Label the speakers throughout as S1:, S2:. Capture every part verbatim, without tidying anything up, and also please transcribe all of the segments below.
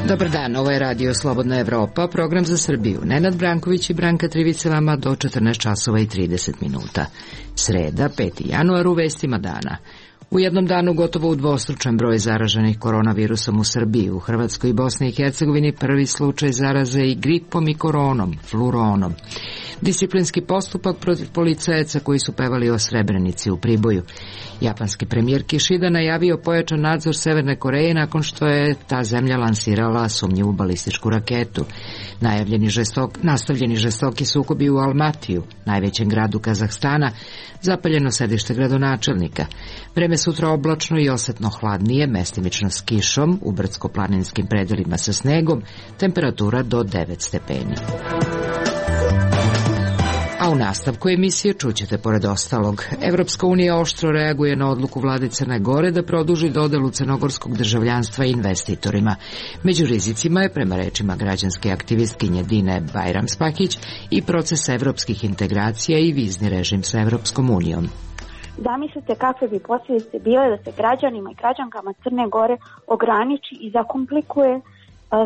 S1: Dobar dan, ovo je Radio Slobodna Evropa, program za Srbiju. Nenad Branković i Branka Trivice vama do četrnaest časova i trideset minuta. Sreda, peti januar, u vestima dana. U jednom danu gotovo udvostručen broj zaraženih koronavirusom u Srbiji, u Hrvatskoj i Bosni i Hercegovini prvi slučaj zaraze i gripom i koronom, fluronom. Disciplinski postupak protiv policajaca koji su pevali o Srebrenici u Priboju. Japanski premijer Kishida najavio pojačan nadzor Severne Koreje nakon što je ta zemlja lansirala sumnjivu balističku raketu. Najavljeni žestok, nastavljeni žestoki sukobi u Almatiju, najvećem gradu Kazahstana, zapaljeno sedište gradonačelnika. Vreme sutra oblačno i osetno hladnije, mestimično s kišom, u brdsko-planinskim predelima sa snegom, temperatura do devet stepeni. A u nastavku emisije čućete pored ostalog. Evropska unija oštro reaguje na odluku vlade Crne Gore da produži dodelu crnogorskog državljanstva investitorima. Među rizicima je, prema rečima građanske aktivistkinje Dine Bajramspahić, i proces evropskih integracija i vizni režim sa Evropskom unijom.
S2: Zamislite kakve bi posljedice bile da se građanima i građankama Crne Gore ograniči i zakomplikuje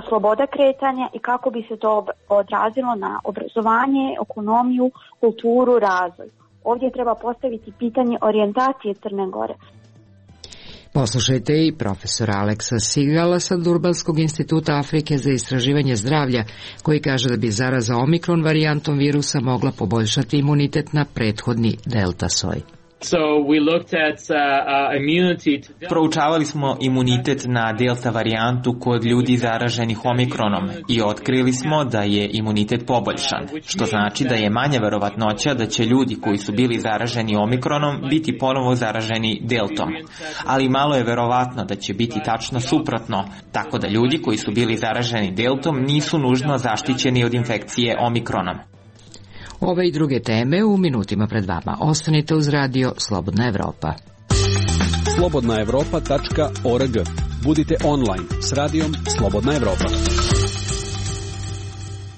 S2: sloboda kretanja i kako bi se to odrazilo na obrazovanje, ekonomiju, kulturu, razvoj. Ovdje treba postaviti pitanje orijentacije Crne Gore.
S1: Poslušajte i profesora Aleksa Sigala sa Durbanskog instituta Afrike za istraživanje zdravlja, koji kaže da bi zaraza omikron varijantom virusa mogla poboljšati imunitet na prethodni delta soj.
S3: So we looked at uh, uh, immunity to...
S4: Proučavali smo imunitet na delta varijantu kod ljudi zaraženih omikronom i otkrili smo da je imunitet poboljšan, što znači da je manja verovatnoća da će ljudi koji su bili zaraženi omikronom biti ponovo zaraženi deltom. Ali malo je verovatno da će biti tačno suprotno, tako da ljudi koji su bili zaraženi deltom nisu nužno zaštićeni od infekcije omikronom.
S1: Ove i druge teme u minutima pred vama. Ostanite uz radio Slobodna Evropa.
S5: slobodna evropa tačka org. Budite online s radijom Slobodna Evropa.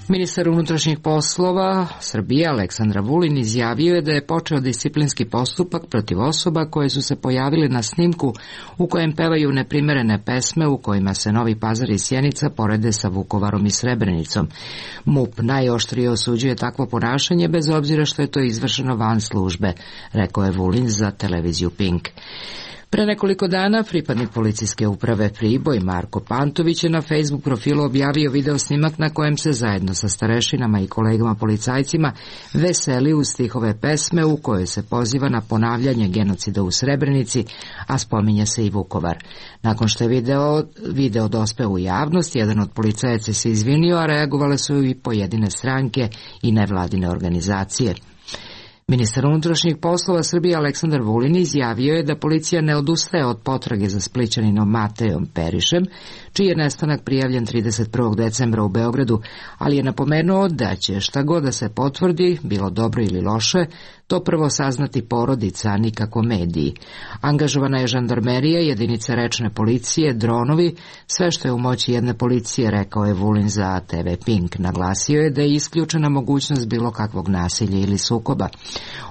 S1: Ministar unutrašnjih poslova Srbije Aleksandar Vulin izjavio je da je počeo disciplinski postupak protiv osoba koje su se pojavile na snimku u kojem pevaju neprimerene pesme u kojima se Novi Pazar i Sjenica porede sa Vukovarom i Srebrenicom. MUP najoštrije osuđuje takvo ponašanje bez obzira što je to izvršeno van službe, rekao je Vulin za televiziju Pink. Pre nekoliko dana pripadnik policijske uprave Priboj Marko Pantović je na Facebook profilu objavio video snimak na kojem se zajedno sa starešinama i kolegama policajcima veseli uz stihove pesme u kojoj se poziva na ponavljanje genocida u Srebrenici, a spominje se i Vukovar. Nakon što je video, video dospeo u javnost, jedan od policajaca se izvinio, a reagovale su i pojedine stranke i nevladine organizacije. Ministar unutrašnjih poslova Srbije Aleksandar Vulin izjavio je da policija ne odustaje od potrage za Splićaninom Matejom Perišem, čiji je nestanak prijavljen trideset prvog decembra u Beogradu, ali je napomenuo da će šta god da se potvrdi, bilo dobro ili loše, to prvo saznati porodica, a nikako mediji. Angažovana je žandarmerija, jedinice rečne policije, dronovi, sve što je u moći jedne policije, rekao je Vulin za te ve Pink. Naglasio je da je isključena mogućnost bilo kakvog nasilja ili sukoba.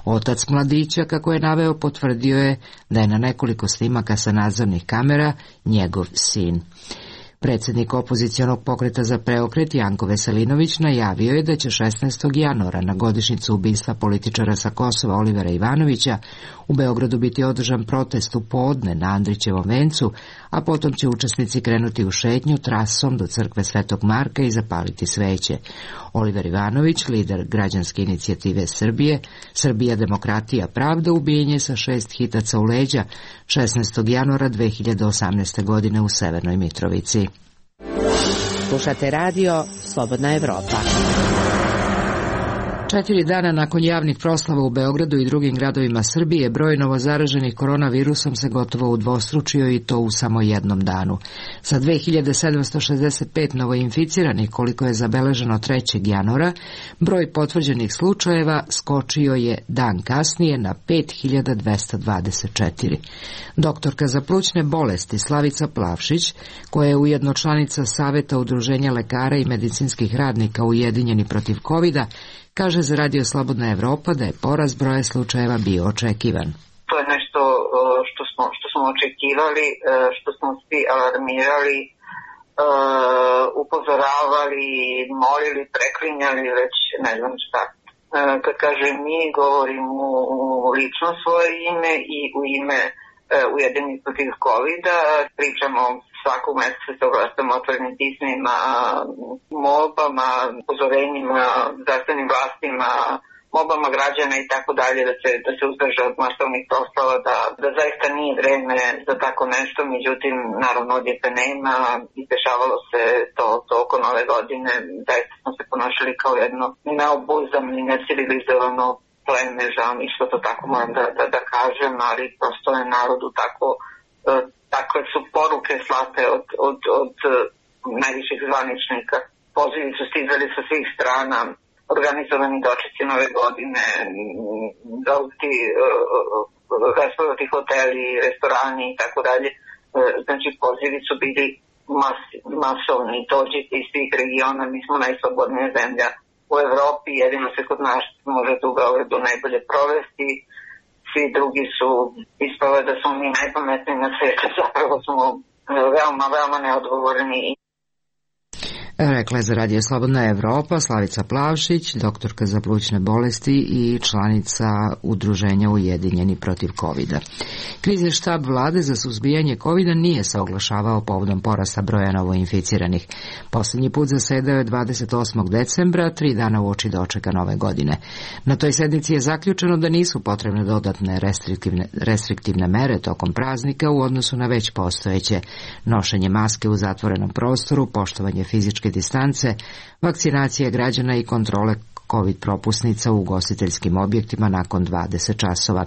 S1: Otac mladića, kako je naveo, potvrdio je da je na nekoliko snimaka sa nadzornih kamera njegov sin. Predsjednik opozicionog pokreta za preokret Janko Veselinović najavio je da će šesnaestog januara na godišnjicu ubistva političara sa Kosova Olivera Ivanovića u Beogradu biti održan protest u podne na Andrićevom vencu, a potom će učesnici krenuti u šetnju trasom do crkve Svetog Marka i zapaliti sveće. Oliver Ivanović, lider građanske inicijative Srbije, Srbija, demokratija, pravda, ubijen je sa šest hitaca u leđa šesnaestog januara dve hiljade osamnaeste. godine u Severnoj Mitrovici.
S6: Slušate radio Slobodna Evropa.
S1: Četiri dana nakon javnih proslava u Beogradu i drugim gradovima Srbije, broj novozaraženih koronavirusom se gotovo udvostručio i to u samo jednom danu. Sa dve hiljade sedamsto šezdeset pet novoinficiranih, koliko je zabeleženo trećeg januara, broj potvrđenih slučajeva skočio je dan kasnije na pet hiljada dvesta dvadeset četiri. Doktorka za plućne bolesti Slavica Plavšić, koja je ujedno članica Saveta Udruženja lekara i medicinskih radnika Ujedinjeni protiv kovida, kaže za Radio Slobodna Evropa da je porast broja slučajeva bio očekivan.
S6: To je nešto što smo, što smo očekivali, što smo svi alarmirali, upozoravali, molili, preklinjali, već ne znam šta. Kad kažem mi, govorim u lično svoje ime i u ime Ujedinjenih protiv kovida, pričamo svakog meseca se oglasamo otvorenim pismima, molbama, upozorenjima, zdravstvenim vlastima, molbama građana i tako dalje, da se, da se uzdrže od masovnih proslava, da, da zaista nije vreme za tako nešto, međutim, naravno odjeka nema, izdešavalo se to oko nove godine, zaista smo se ponašali kao jedno neobuzano i necivilizovano pleme, žao mi što to tako moram da, da, da kažem, ali prosto je narodu tako, takve su poruke slate od, od, od najviših zvaničnika. Pozivi su stizali sa svih strana, organizovani dočeci nove godine, zauti, rasprodati hoteli, restorani i tako dalje. Znači, pozivi su bili mas, masovni, dođite iz svih regiona, mi smo najslobodnija zemlja u Evropi, jedino se kod nas može u Beogradu najbolje provesti, svi drugi su ispale da smo mi najpametniji na svijetu, zapravo smo veoma, veoma neodgovorni.
S1: Rekla je za Radio Slobodna Evropa Slavica Plavšić, doktorka za plućne bolesti i članica Udruženja Ujedinjeni protiv kovida. Krizni štab vlade za suzbijanje kovida nije se oglašavao povodom porasta broja novoinficiranih. Poslednji put zasedao je dvadeset osmog decembra, tri dana uoči dočeka nove godine. Na toj sednici je zaključeno da nisu potrebne dodatne restriktivne, restriktivne mere tokom praznika u odnosu na već postojeće: nošenje maske u zatvorenom prostoru, poštovanje fizičke distance, vakcinacije građana i kontrole COVID propusnica u ugostiteljskim objektima nakon dvadeset časova.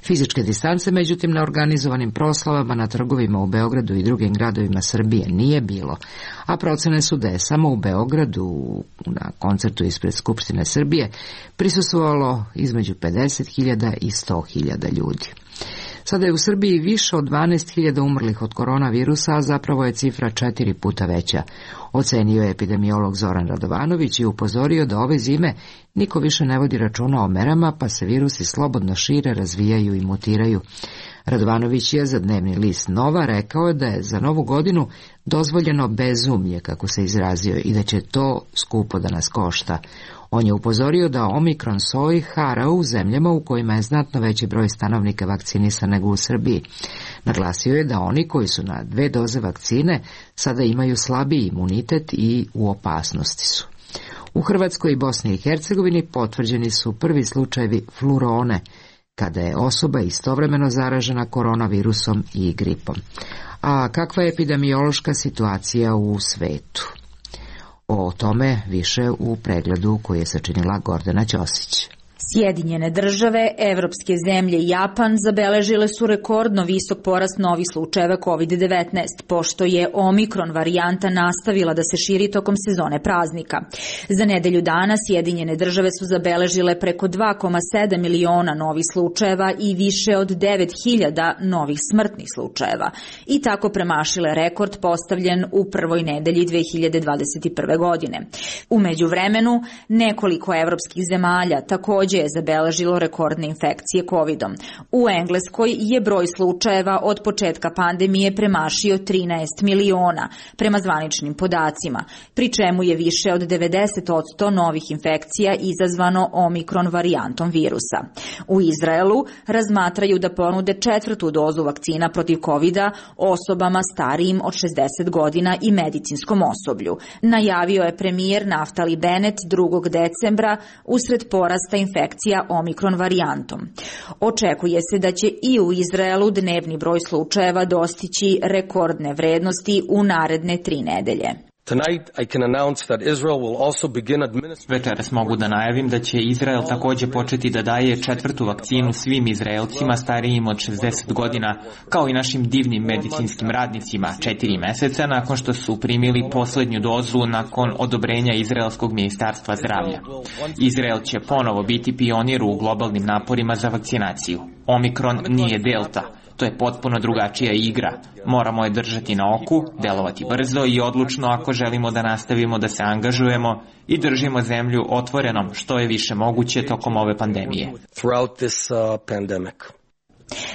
S1: Fizičke distance, međutim, na organizovanim proslavama na trgovima u Beogradu i drugim gradovima Srbije nije bilo, a procene su da je samo u Beogradu na koncertu ispred Skupštine Srbije prisustvovalo između pedeset hiljada i sto hiljada ljudi. Sada je u Srbiji više od dvanaest hiljada umrlih od koronavirusa, a zapravo je cifra četiri puta veća. Ocenio je epidemiolog Zoran Radovanović i upozorio da ove zime niko više ne vodi računa o merama, pa se virusi slobodno šire, razvijaju i mutiraju. Radovanović je za dnevni list Nova rekao da je za novu godinu dozvoljeno bezumlje, kako se izrazio, i da će to skupo da nas košta. On je upozorio da omikron soj hara u zemljama u kojima je znatno veći broj stanovnika vakcinisan nego u Srbiji. Naglasio je da oni koji su na dve doze vakcine sada imaju slabiji imunitet i u opasnosti su. U Hrvatskoj i Bosni i Hercegovini potvrđeni su prvi slučajevi flurone, kada je osoba istovremeno zaražena koronavirusom i gripom. A kakva je epidemiološka situacija u svetu? O tome više u pregledu koji je sačinila Gordana Ćosić.
S7: Sjedinjene države, evropske zemlje i Japan zabeležile su rekordno visok porast novih slučajeva kovid devetnaest, pošto je omikron varijanta nastavila da se širi tokom sezone praznika. Za nedelju dana Sjedinjene države su zabeležile preko dva zarez sedam miliona novih slučajeva i više od devet hiljada novih smrtnih slučajeva i tako premašile rekord postavljen u prvoj nedelji dve hiljade dvadeset prve. godine. U međuvremenu, nekoliko evropskih zemalja takođe je zabeležilo rekordne infekcije kovidom. U Engleskoj je broj slučajeva od početka pandemije premašio trinaest miliona, prema zvaničnim podacima, pri čemu je više od devedeset posto novih infekcija izazvano omikron varijantom virusa. U Izraelu razmatraju da ponude četvrtu dozu vakcina protiv kovida osobama starijim od šezdeset godina i medicinskom osoblju. Najavio je premijer Naftali Bennett drugog decembra usred porasta infekcija omikron varijantom. Očekuje se da će i u Izraelu dnevni broj slučajeva dostići rekordne vrednosti u naredne tri nedelje.
S4: Večeras mogu da najavim da će Izrael takođe početi da daje četvrtu vakcinu svim Izraelcima starijim od šezdeset godina, kao i našim divnim medicinskim radnicima, četiri meseca nakon što su primili poslednju dozu nakon odobrenja Izraelskog ministarstva zdravlja. Izrael će ponovo biti pionir u globalnim naporima za vakcinaciju. Omikron nije delta. To je potpuno drugačija igra. Moramo je držati na oku, delovati brzo i odlučno ako želimo da nastavimo da se angažujemo i držimo zemlju otvorenom što je više moguće tokom ove pandemije.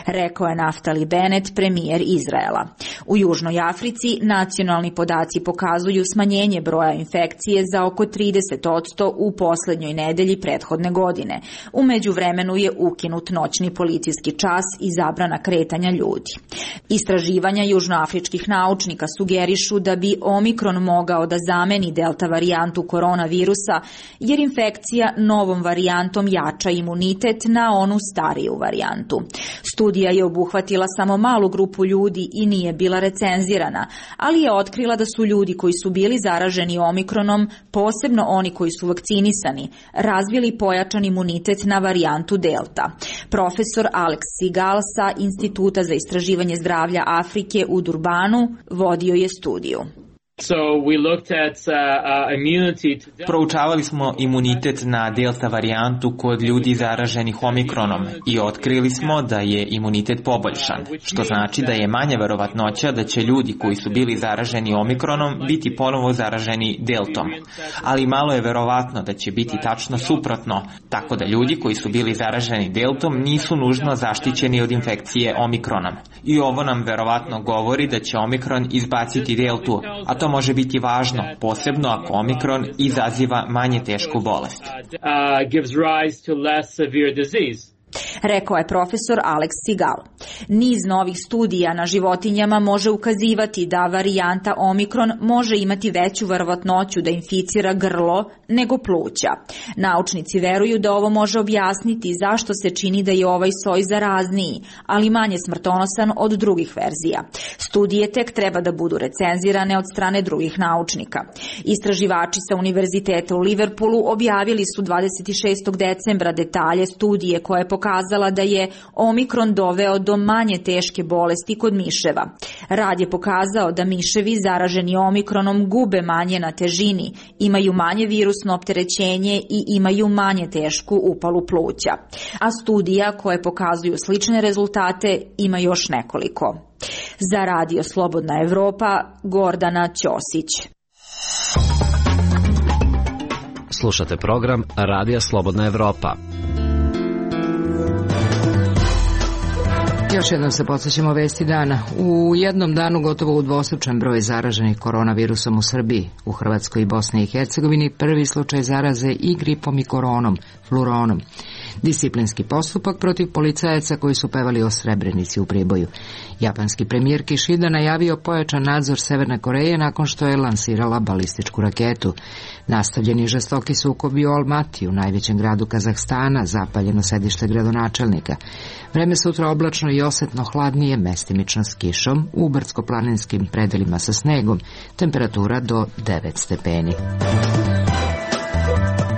S7: Rekao je Naftali Bennett, premijer Izraela. U Južnoj Africi nacionalni podaci pokazuju smanjenje broja infekcije za oko trideset posto u poslednjoj nedelji prethodne godine. U međuvremenu je ukinut noćni policijski čas i zabrana kretanja ljudi. Istraživanja južnoafričkih naučnika sugerišu da bi Omikron mogao da zameni delta varijantu koronavirusa, jer infekcija novom varijantom jača imunitet na onu stariju varijantu. Studija je obuhvatila samo malu grupu ljudi i nije bila recenzirana, ali je otkrila da su ljudi koji su bili zaraženi Omikronom, posebno oni koji su vakcinisani, razvili pojačan imunitet na varijantu delta. Profesor Alex Sigal sa Instituta za istraživanje zdravlja Afrike u Durbanu vodio je studiju.
S3: So we looked at uh, uh, immunity to...
S4: Proučavali smo imunitet na delta varijantu kod ljudi zaraženih Omikronom i otkrili smo da je imunitet poboljšan, što znači da je manja verovatnoća da će ljudi koji su bili zaraženi Omikronom biti ponovo zaraženi deltom. Ali malo je verovatno da će biti tačno suprotno, tako da ljudi koji su bili zaraženi deltom nisu nužno zaštićeni od infekcije Omikronom. I ovo nam verovatno govori da će Omikron izbaciti deltu, a to može biti važno, posebno ako Omikron izaziva manje tešku bolest.
S7: Rekao je profesor Alex Sigal. Niz novih studija na životinjama može ukazivati da varijanta Omikron može imati veću verovatnoću da inficira grlo nego pluća. Naučnici veruju da ovo može objasniti zašto se čini da je ovaj soj zarazniji, ali manje smrtonosan od drugih verzija. Studije tek treba da budu recenzirane od strane drugih naučnika. Istraživači sa Univerziteta u Liverpoolu objavili su dvadeset šestog decembra detalje studije koja je pokazala da je Omikron doveo do manje teške bolesti kod miševa. Rad je pokazao da miševi zaraženi Omikronom gube manje na težini, imaju manje virusno opterećenje i imaju manje tešku upalu pluća. A studija koje pokazuju slične rezultate ima još nekoliko. Za Radio Slobodna Evropa, Gordana Ćosić.
S8: Slušate program Radija Slobodna Evropa.
S1: Još jednom se podsjećamo vesti dana. U jednom danu gotovo udvostručen broj zaraženih koronavirusom u Srbiji. U Hrvatskoj i Bosni i Hercegovini prvi slučaj zaraze i gripom i koronom, fluronom. Disciplinski postupak protiv policajaca koji su pevali o Srebrenici u Priboju. Japanski premijer Kishida najavio pojačan nadzor Severne Koreje nakon što je lansirala balističku raketu. Nastavljeni žestoki sukobi u Almatiju, najvećem gradu Kazahstana, zapaljeno sedište gradonačelnika. Vreme sutra oblačno i osetno hladnije, mestimično s kišom, u brdsko-planinskim predelima sa snegom, temperatura do devet stepeni.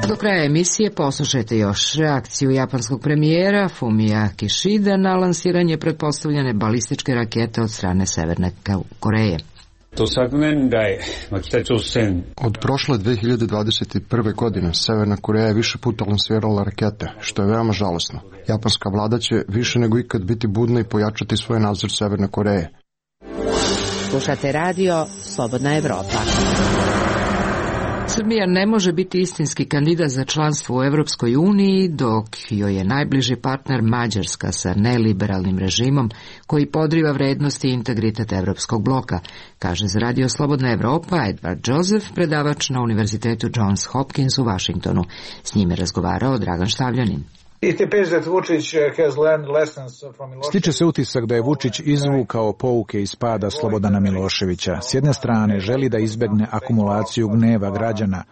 S1: Do kraja emisije poslušajte još reakciju japanskog premijera Fumia Kishida na lansiranje pretpostavljene balističke rakete od strane Severne Koreje.
S9: Od prošle dve hiljade dvadeset prve. godine Severna Koreja je više puta lansirala rakete, što je veoma žalosno. Japanska vlada će više nego ikad biti budna i pojačati svoj nadzor Severne Koreje.
S1: Slušate radio Slobodna Evropa. Srbija ne može biti istinski kandidat za članstvo u Evropskoj uniji, dok joj je najbliži partner Mađarska sa neliberalnim režimom koji podriva vrednosti i integritet Evropskog bloka, kaže za Radio Slobodna Evropa Edward Joseph, predavač na Univerzitetu Johns Hopkins u Vašingtonu. S njime razgovarao Dragan Štavljanin.
S10: Stiče se utisak da je Vučić izvukao pouke iz pada Slobodana Miloševića. S jedne strane želi da izbegne akumulaciju gneva građana,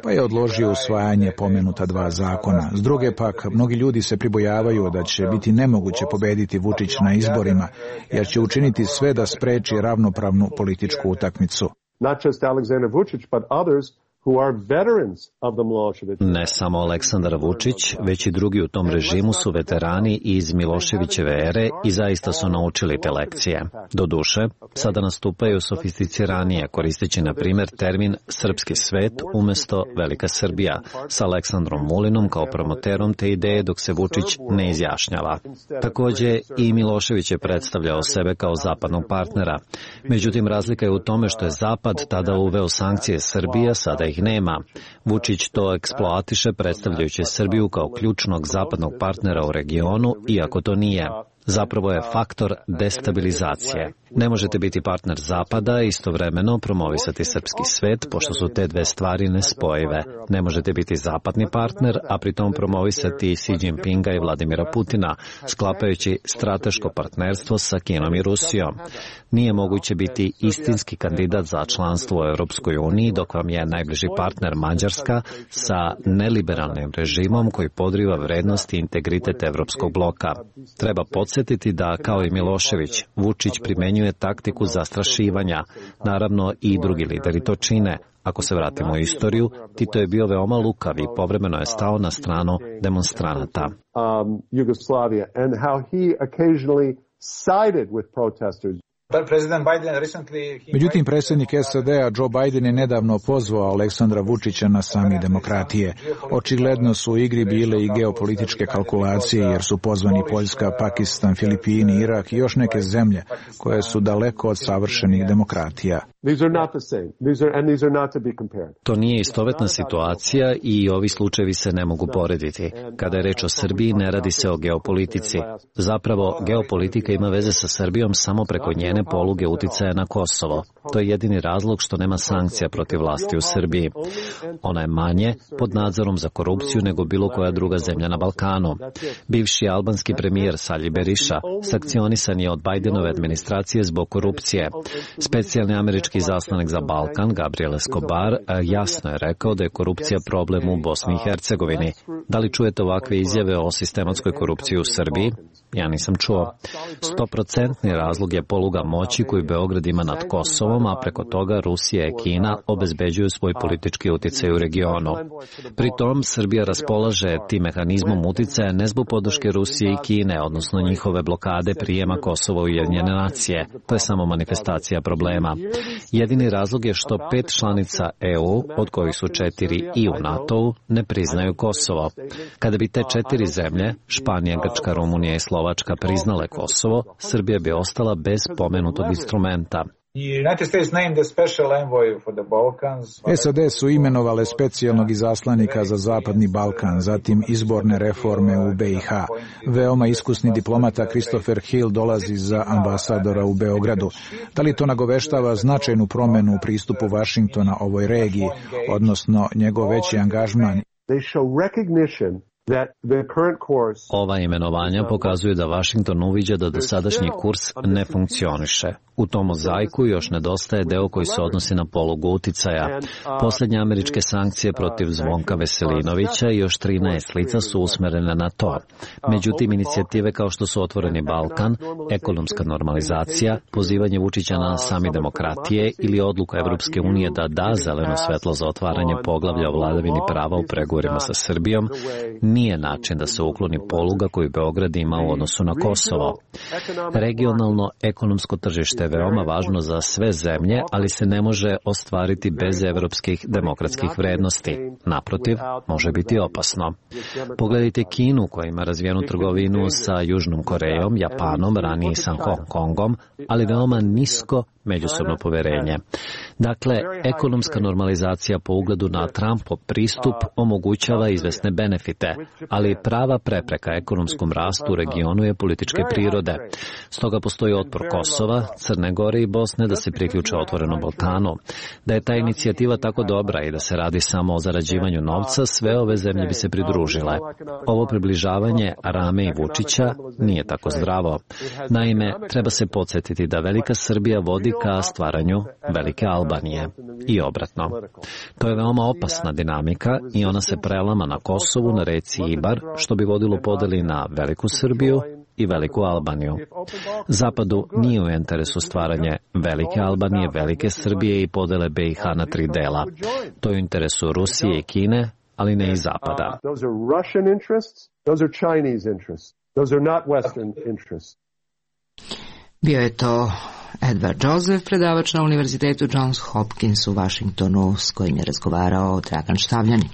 S10: pa je odložio usvajanje pomenuta dva zakona. S druge pak, mnogi ljudi se pribojavaju da će biti nemoguće pobediti Vučić na izborima, jer će učiniti sve da spreči ravnopravnu političku utakmicu.
S11: not just Alexander Vučić, but others who are veterans of the Milošević.
S8: Ne samo Aleksandar Vučić, već i drugi u tom režimu su veterani iz Miloševićeve ere i zaista su naučili te lekcije. Doduše, sada nastupaju sofisticiranije, koristeći na primjer termin srpski svet umesto Velika Srbija, sa Aleksandrom Vulinom kao promoterom te ideje dok se Vučić ne izjašnjava. Takođe, i Milošević je predstavljao sebe kao zapadnog partnera. Međutim, razlika je u tome što je Zapad tada uveo sankcije Srbije, sada ih nema. Vučić to eksploatiše predstavljajući Srbiju kao ključnog zapadnog partnera u regionu, iako to nije. Zapravo je faktor destabilizacije. Ne možete biti partner Zapada i istovremeno promovisati srpski svet, pošto su te dve stvari nespojive. Ne možete biti zapadni partner, a pritom promovisati Xi Jinpinga i Vladimira Putina, sklapajući strateško partnerstvo sa Kinom i Rusijom. Nije moguće biti istinski kandidat za članstvo u Europskoj uniji, dok vam je najbliži partner Mađarska sa neliberalnim režimom koji podriva vrednosti i integritet evropskog bloka. Treba podsjetiti da, kao i Milošević, Vučić primenjuje taktiku zastrašivanja. Naravno, i drugi lideri to čine. Ako se vratimo u istoriju, Tito je bio veoma lukav i povremeno je stao na stranu demonstranata.
S11: Um, Yugoslavia and how he occasionally sided with protesters.
S10: Međutim, predsjednik S A D-a Joe Biden je nedavno pozvao Aleksandra Vučića na sami demokratije. Očigledno su u igri bile i geopolitičke kalkulacije, jer su pozvani Poljska, Pakistan, Filipini, Irak i još neke zemlje koje su daleko od savršenih demokratija.
S8: To nije istovetna situacija i ovi slučajevi se ne mogu porediti. Kada je reč o Srbiji, ne radi se o geopolitici. Zapravo, geopolitika ima veze sa Srbijom samo preko njene poluge uticaja na Kosovo. To je jedini razlog što nema sankcija protiv vlasti u Srbiji. Ona je manje pod nadzorom za korupciju nego bilo koja druga zemlja na Balkanu. Bivši albanski premijer Sali Beriša sankcionisan je od Bidenove administracije zbog korupcije. Specijalni američki zaslanik za Balkan, Gabriel Escobar, jasno je rekao da je korupcija problem u Bosni i Hercegovini. Da li čujete ovakve izjave o sistematskoj korupciji u Srbiji? Ja nisam čuo. Stoprocentni razlog je poluga moći koju Beograd ima nad Kosovom, a preko toga Rusija i Kina obezbeđuju svoj politički uticaj u regionu. Pritom, Srbija raspolaže tim mehanizmom uticaja ne zbog podrške Rusije i Kine, odnosno njihove blokade prijema Kosova u Ujedinjene nacije. To je samo manifestacija problema. Jedini razlog je što pet članica E U, od kojih su četiri i u NATO-u, ne priznaju Kosovo. Kada bi te četiri zemlje, Španija, Grčka, Rumunija i Slovačka, priznale Kosovo, Srbija bi ostala bez pomenutog instrumenta.
S10: S A D su imenovale specijalnog izaslanika za Zapadni Balkan, zatim izborne reforme u B i H. Veoma iskusni diplomata Christopher Hill dolazi za ambasadora u Beogradu. Da li to nagoveštava značajnu promenu u pristupu Vašingtona ovoj regiji, odnosno njegov veći angažman?
S8: Ova imenovanja pokazuju da Vašington uviđa da dosadašnji kurs ne funkcioniše. U tom mozaiku još nedostaje deo koji se odnosi na polugu uticaja. Posljednje američke sankcije protiv Zvonka Veselinovića i još trinaest lica su usmerene na to. Međutim, inicijative kao što su Otvoreni Balkan, ekonomska normalizacija, pozivanje Vučića na sami demokratije ili odluka Evropske unije da da zeleno svetlo za otvaranje poglavlja o vladavini prava u pregovorima sa Srbijom, nije način da se ukloni poluga koju Beograd ima u odnosu na Kosovo. Regionalno ekonomsko tržište je veoma važno za sve zemlje, ali se ne može ostvariti bez evropskih demokratskih vrednosti. Naprotiv, može biti opasno. Pogledajte Kinu koja ima razvijenu trgovinu sa Južnom Korejom, Japanom, ranije i sa Hong Kongom, ali veoma nisko međusobno poverenje. Dakle, ekonomska normalizacija po ugledu na Trumpov pristup omogućava izvesne benefite, ali prava prepreka ekonomskom rastu u regionu je političke prirode. Stoga postoji otpor Kosova, Crne Gore i Bosne da se priključe Otvorenom Balkanu. Da je ta inicijativa tako dobra i da se radi samo o zarađivanju novca, sve ove zemlje bi se pridružile. Ovo približavanje Rame i Vučića nije tako zdravo. Naime, treba se podsjetiti da Velika Srbija vodi ka stvaranju Velike Albanije i obratno. To je veoma opasna dinamika i ona se prelama na Kosovu, na reci Ibar, što bi vodilo podeli na Veliku Srbiju i Veliku Albaniju. Zapadu nije u interesu stvaranje Velike Albanije, Velike Srbije i podele B i H na tri dela. To je u interesu Rusije i Kine, ali ne i Zapada.
S1: Bio je to Edward Joseph, predavač na Univerzitetu Johns Hopkins u Vašingtonu, s kojim je razgovarao Dragan Štavljanin.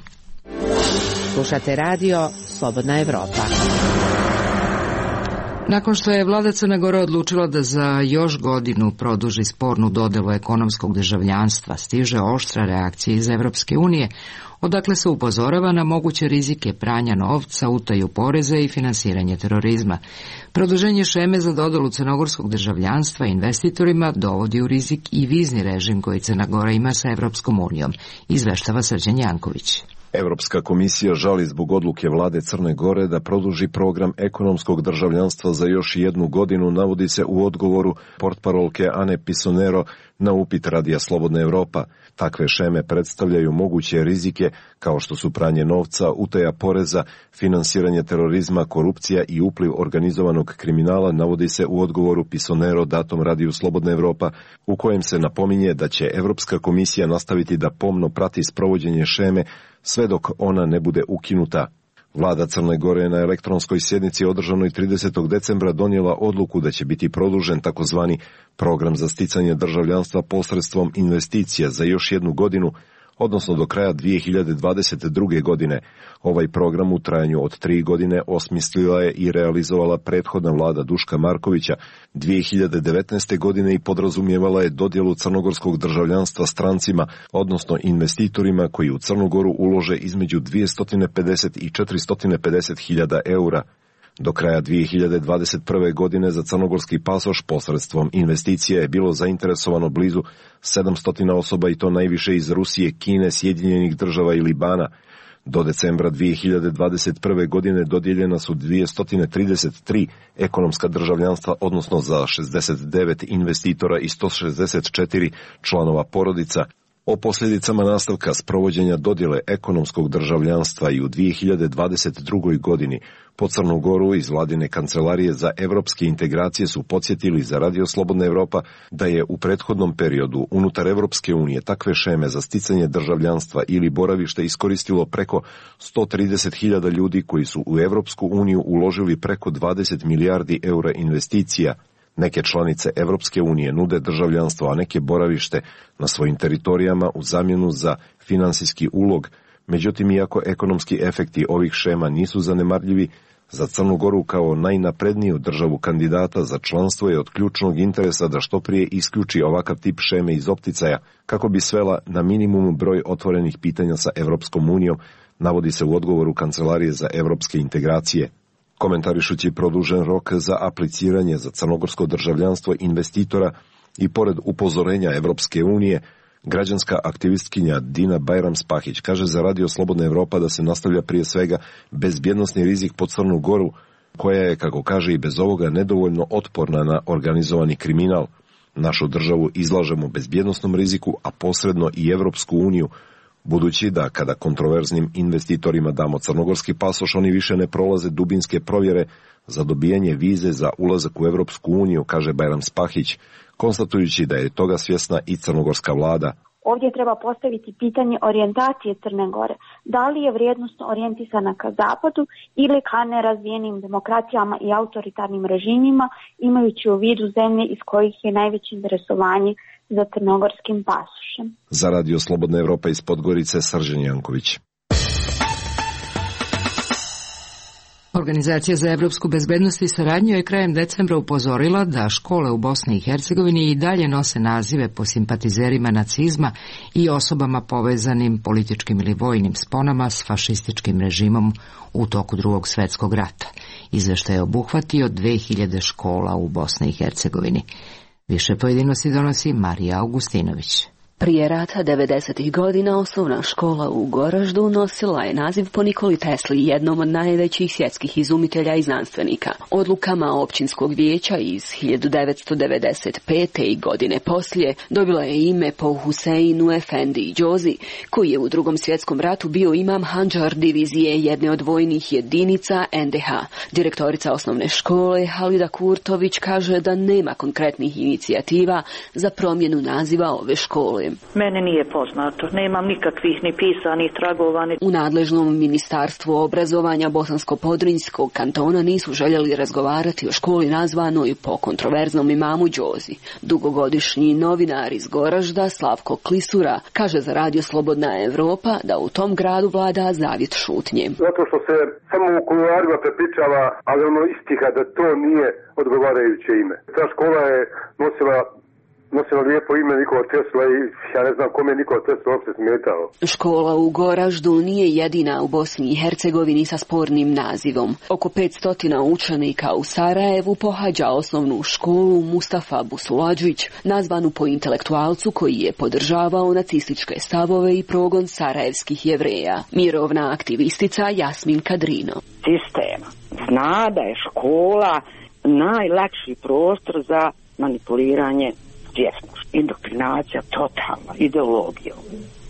S12: Slušate radio Slobodna Evropa.
S1: Nakon što je vlada Crne Gore odlučila da za još godinu produži spornu dodelu ekonomskog državljanstva, stiže oštra reakcija iz Evropske unije, odakle se upozorava na moguće rizike pranja novca, utaju poreza i finansiranje terorizma. Produženje šeme za dodelu crnogorskog državljanstva investitorima dovodi u rizik i vizni režim koji Crna Gora ima sa Evropskom unijom, izveštava Srđan Janković.
S13: Evropska komisija žali zbog odluke vlade Crne Gore da produži program ekonomskog državljanstva za još jednu godinu, navodi se u odgovoru portparolke Ane Pisonero na upit Radija Slobodna Evropa. Takve šeme predstavljaju moguće rizike kao što su pranje novca, utaja poreza, finansiranje terorizma, korupcija i upliv organizovanog kriminala, navodi se u odgovoru Pisonero datom Radiju Slobodna Evropa, u kojem se napominje da će Evropska komisija nastaviti da pomno prati sprovođenje šeme sve dok ona ne bude ukinuta. Vlada Crne Gore na elektronskoj sjednici održanoj tridesetog decembra donijela odluku da će biti produžen takozvani program za sticanje državljanstva posredstvom investicija za još jednu godinu, odnosno do kraja dvije hiljade dvadeset druge. godine. Ovaj program u trajanju od tri godine osmislila je i realizovala prethodna vlada Duška Markovića dvije hiljade devetnaeste. godine i podrazumijevala je dodjelu crnogorskog državljanstva strancima, odnosno investitorima koji u Crnu Goru ulože između dvjesto pedeset i četiristo pedeset hiljada eura. Do kraja dvije hiljade dvadeset prve. godine za crnogorski pasoš posredstvom investicija je bilo zainteresovano blizu sedamsto osoba i to najviše iz Rusije, Kine, Sjedinjenih Država i Libana. Do decembra dvije hiljade dvadeset prve. godine dodijeljena su dvjesto trideset tri ekonomska državljanstva, odnosno za šezdeset devet investitora i sto šezdeset četiri članova porodica. O posljedicama nastavka sprovođenja dodjele ekonomskog državljanstva i u dvije hiljade dvadeset drugoj. godini po Crnu Goru iz vladine kancelarije za evropske integracije su podsjetili za Radio Slobodna Evropa da je u prethodnom periodu unutar Evropske unije takve šeme za sticanje državljanstva ili boravište iskoristilo preko sto trideset hiljada ljudi koji su u Evropsku uniju uložili preko dvadeset milijardi eura investicija. Neke članice Evropske unije nude državljanstvo, a neke boravište na svojim teritorijama u zamjenu za finansijski ulog. Međutim, iako ekonomski efekti ovih šema nisu zanemarljivi, za Crnu Goru kao najnapredniju državu kandidata za članstvo je od ključnog interesa da što prije isključi ovakav tip šeme iz opticaja, kako bi svela na minimum broj otvorenih pitanja sa Evropskom unijom, navodi se u odgovoru Kancelarije za evropske integracije. Komentarišući produžen rok za apliciranje za crnogorsko državljanstvo investitora i pored upozorenja Evropske unije, građanska aktivistkinja Dina Bajram-Spahić kaže za Radio Slobodna Evropa da se nastavlja prije svega bezbjednosni rizik po Crnu Goru, koja je, kako kaže, i bez ovoga nedovoljno otporna na organizovani kriminal. Našu državu izlažemo bezbjednosnom riziku, a posredno i Evropsku uniju, budući da kada kontroverznim investitorima damo crnogorski pasoš, oni više ne prolaze dubinske provjere za dobijanje vize za ulazak u Evropsku uniju, kaže Bajram-Spahić, konstatujući da je toga svjesna i crnogorska vlada.
S2: Ovdje treba postaviti pitanje orijentacije Crne Gore. Da li je vrijednosno orijentisana ka zapadu ili ka nerazvijenim demokratijama i autoritarnim režimima, imajući u vidu zemlje iz kojih je najveće interesovanje za crnogorskim pasošem.
S13: Za Radio Slobodna Evropa iz Podgorice, Srđan Janković.
S1: Organizacija za evropsku bezbednost i saradnju je krajem decembra upozorila da škole u Bosni i Hercegovini i dalje nose nazive po simpatizerima nacizma i osobama povezanim političkim ili vojnim sponama s fašističkim režimom u toku Drugog svjetskog rata. Izveštaj je obuhvatio dve hiljade škola u Bosni i Hercegovini. Više pojedinosti donosi Marija Augustinović.
S14: Prije rata devedesetih godina osnovna škola u Goraždu nosila je naziv po Nikoli Tesli, jednom od najvećih svjetskih izumitelja i znanstvenika. Odlukama općinskog vijeća iz hiljadu devetsto devedeset pete. i godine poslije dobila je ime po Huseinu Efendi Džozi, koji je u Drugom svjetskom ratu bio imam Handžar divizije jedne od vojnih jedinica en de ha. Direktorica osnovne škole Halida Kurtović kaže da nema konkretnih inicijativa za promjenu naziva ove škole.
S15: Meni nije poznato, nemam nikakvih ni pisanih tragova. Ni...
S14: U nadležnom ministarstvu obrazovanja Bosansko-Podrinjskog kantona nisu željeli razgovarati o školi nazvanoj po kontroverznom imamu Džozi. Dugogodišnji novinar iz Goražda Slavko Klisura kaže za radio Slobodna Evropa da u tom gradu vlada zavjet šutnje.
S16: Zato što se samo u kuloarima prepričava, ali ono istiha da to nije odgovarajuće ime. Ta škola je nosila nosila lijepo ime Nikola Tesla i ja ne znam kome je Nikola Tesla uopće smetao.
S14: Škola u Goraždu nije jedina u Bosni i Hercegovini sa spornim nazivom. Oko petsto učenika u Sarajevu pohađa osnovnu školu Mustafa Busuladžić, nazvanu po intelektualcu koji je podržavao nacističke stavove i progon sarajevskih Jevreja. Mirovna aktivistica Jasmin Kadrino.
S17: Sistem zna da je škola najlakši prostor za manipuliranje svjesnošću. Indoktrinacija totalna, ideologija.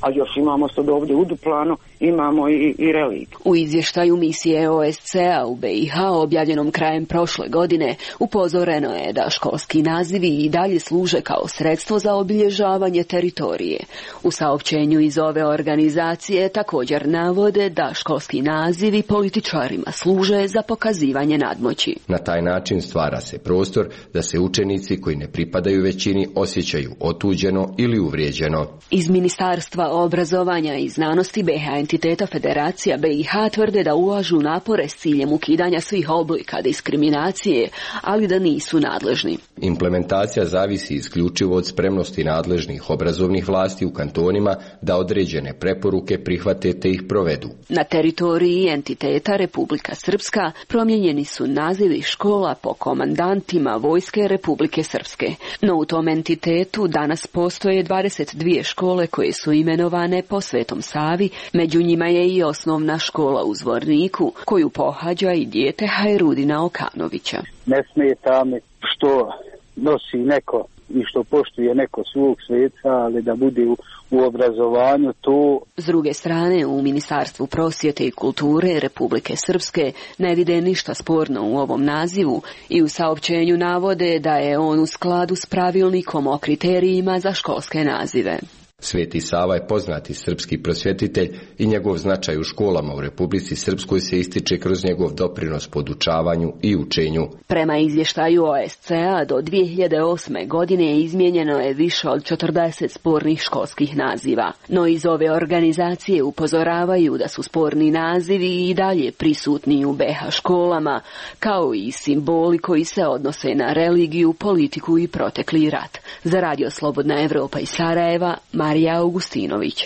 S17: A još imamo sad ovdje u duplanu, imamo i, i religiju.
S14: U izvještaju misije o es ce a u be i ha objavljenom krajem prošle godine upozoreno je da školski nazivi i dalje služe kao sredstvo za obilježavanje teritorije. U saopćenju iz ove organizacije također navode da školski nazivi političarima služe za pokazivanje nadmoći.
S18: Na taj način stvara se prostor da se učenici koji ne pripadaju većini osjećaju otuđeno ili uvrijeđeno.
S14: Iz Ministarstva obrazovanja i znanosti be ha entiteta Federacija be i ha tvrde da ulažu napore s ciljem ukidanja svih oblika diskriminacije, ali da nisu nadležni.
S18: Implementacija zavisi isključivo od spremnosti nadležnih obrazovnih vlasti u kantonima da određene preporuke prihvate te ih provedu.
S14: Na teritoriji entiteta Republika Srpska promijenjeni su nazivi škola po komandantima Vojske Republike Srpske. No u tom entitetu danas postoje dvadeset dvije škole koje su imenovane po Svetom Savi, među njima je i osnovna škola u Zvorniku, koju pohađa i dijete Hajrudina Okanovića.
S19: Ne smeta mi što nosi neko i što poštuje neko svog sveca, ali da bude u, u obrazovanju to.
S14: S druge strane, u Ministarstvu prosvjete i kulture Republike Srpske ne vide ništa sporno u ovom nazivu i u saopćenju navode da je on u skladu s pravilnikom o kriterijima za školske nazive.
S18: Sveti Sava je poznati srpski prosvjetitelj i njegov značaj u školama u Republici Srpskoj se ističe kroz njegov doprinos podučavanju i učenju.
S14: Prema izvještaju o es ce a do dvije hiljade osme. godine izmijenjeno je više od četrdeset spornih školskih naziva. No iz ove organizacije upozoravaju da su sporni nazivi i dalje prisutni u be ha školama, kao i simboli koji se odnose na religiju, politiku i protekli rat. Za radio Slobodna Evropa iz Sarajeva, Marija Augustinović.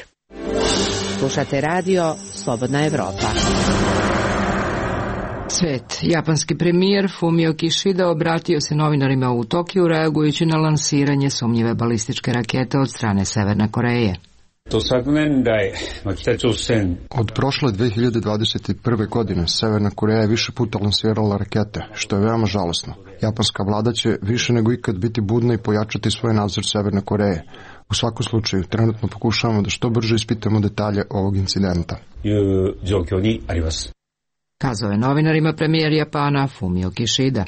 S12: Slušate radio Slobodna Evropa.
S1: Svet. Japanski premijer Fumio Kishida obratio se novinarima u Tokiju reagujući na lansiranje sumnjive balističke rakete od strane Severne Koreje.
S9: Od prošle dve hiljade dvadeset prve. godine Severna Koreja je više puta lansirala rakete, što je veoma žalosno. Japanska vlada će više nego ikad biti budna i pojačati svoj nadzor Severne Koreje. U svakom slučaju, trenutno pokušavamo da što brže ispitamo detalje ovog incidenta.
S1: Kazao je novinarima premijer Japana Fumio Kishida.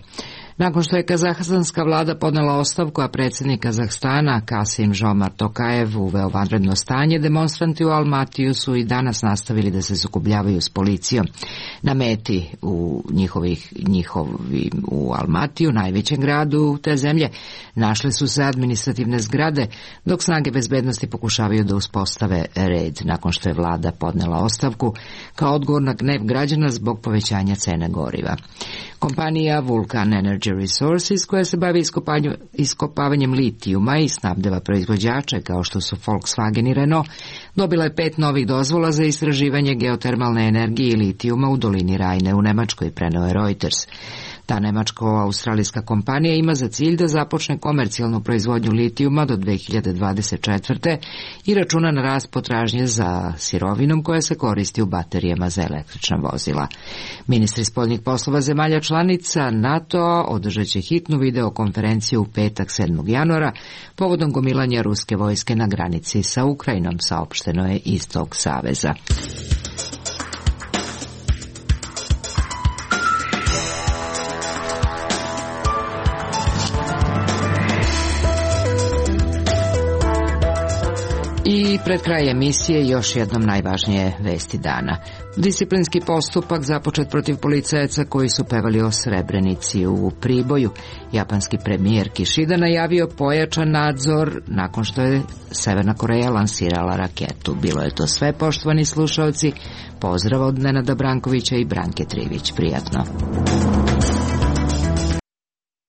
S1: Nakon što je kazahstanska vlada podnela ostavku, a predsjednik Kazahstana Kasim Žomart Tokajev uveo vanredno stanje, demonstranti u Almatiju su i danas nastavili da se sukobljavaju s policijom. Na meti u njihovih, njihovi u Almatiju, najvećem gradu te zemlje, našle su se administrativne zgrade, dok snage bezbednosti pokušavaju da uspostave red nakon što je vlada podnela ostavku kao odgovor na gnev građana zbog povećanja cene goriva. Kompanija Vulcan Energy Resources, koja se bavi iskopavanjem litijuma i snabdeva proizvođače kao što su Volkswagen i Renault, dobila je pet novih dozvola za istraživanje geotermalne energije i litijuma u dolini Rajne u Nemačkoj, preneo je Reuters. Ta nemačko-australijska kompanija ima za cilj da započne komercijalnu proizvodnju litijuma do dve hiljade dvadeset četvrte. i računa na rast potražnje za sirovinom koja se koristi u baterijama za električna vozila. Ministri spoljnih poslova zemalja članica NATO održat će hitnu videokonferenciju u petak sedmog januara povodom gomilanja ruske vojske na granici sa Ukrajinom, saopšteno je iz tog saveza. I pred kraj emisije još jednom najvažnije vesti dana. Disciplinski postupak započet protiv policajaca koji su pevali o Srebrenici u Priboju. Japanski premijer Kishida najavio pojačan nadzor nakon što je Severna Koreja lansirala raketu. Bilo je to sve, poštovani slušalci. Pozdrav od Nenada Brankovića i Branke Trivić. Prijatno.